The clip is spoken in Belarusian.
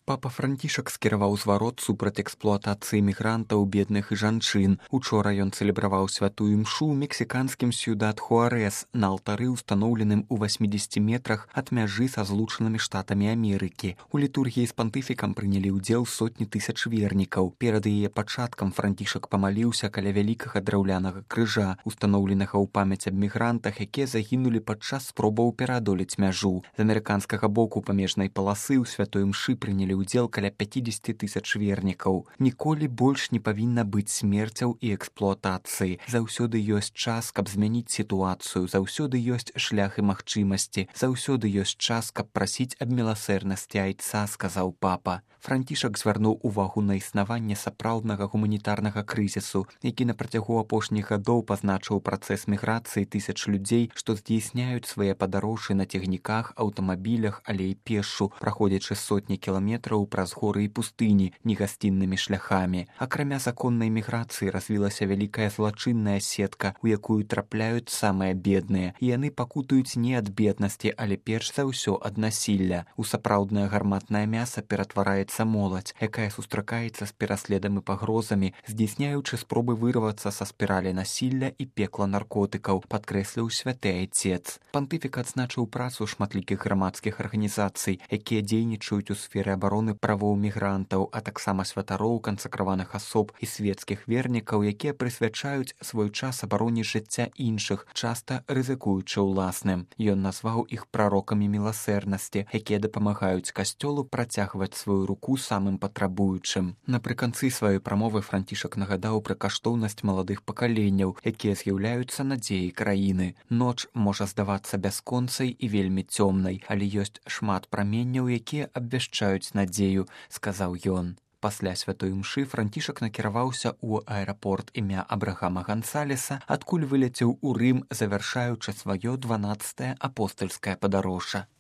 Папа Францішак скіраваў зварот супраць эксплуатацыі мігрантаў, бедных і жанчын. Учора ён цэлебраваў святую імшу ў мексіканскім Сьюдад Хуарэс на алтары, устаноўленым у 80 метрах ад мяжы са злучанымі штатамі Амерыкі. У літургіі з пантыфікам прынялі ўдзел сотні тысяч вернікаў. Перад яе пачаткам Францішак памаліўся каля вялікага драўлянага крыжа, устаноўленага ў памяць аб мігрантах, якія загінулі падчас спробаў пераадолець мяжу. З амерыканскага боку памежнай паласы ў святой імшы прынялі ўдзел каля 50 тысяч вернікаў. Ніколі больш не павінна быць смерцяў і эксплуатацыі. Заўсёды ёсць час, каб змяніць сітуацыю, заўсёды ёсць шлях і магчымасці, заўсёды ёсць час, каб прасіць аб міласэрнасці айца, сказаў папа. Францішак звярнуў увагу на існаванне сапраўднага гуманітарнага крызісу, які на працягу апошніх гадоў пазначыў працэс міграцыі тысяч людзей, што здзейсняюць свае падарожжы на цягніках, аўтамабілях, але і пешшу, праходзячы сотні кіламетраў праз горы і пустыні негасціннымі шляхамі. Акрамя законнай міграцыі развілася вялікая злачынная сетка, у якую трапляюць самыя бедныя. І яны пакутаюць не ад беднасці, але перш за ўсё ад насілля. У сапраўднае гарматнае мяса ператвараецца моладзь, якая сустракаецца з пераследам і пагрозамі, здзейсняючы спробы вырвацца са спіралі насілля і пекла наркотыкаў, падкрэсліў святы айцец. Пантыфік адзначыў працу шматлікіх грамадскіх арганізацый, якія дзейнічаюць у сферы абароны правоў мігрантаў, а таксама святароў, кансакраваных асоб і свецкіх вернікаў, якія прысвячаюць свой час абароне жыцця іншых, часта рызыкуючы ўласным. Ён назваў іх прарокамі міласэрнасці, якія дапамагаюць касцёлу працягваць сваю руку самым патрабуючым. Напрыканцы сваёй прамовы Францішак нагадаў пра каштоўнасць маладых пакаленняў, якія з'яўляюцца надзеяй краіны. Ноч можа здавацца бясконцай і вельмі цёмнай, але ёсць шмат праменняў, якія абвяшчаюць надзею, сказаў ён. Пасля святой імшы Францішак накіраваўся ў аэрапорт імя Абрахама Гансалеса, адкуль вылецеў у Рым, завяршаючы сваё 12-е апостальскае падарожжа.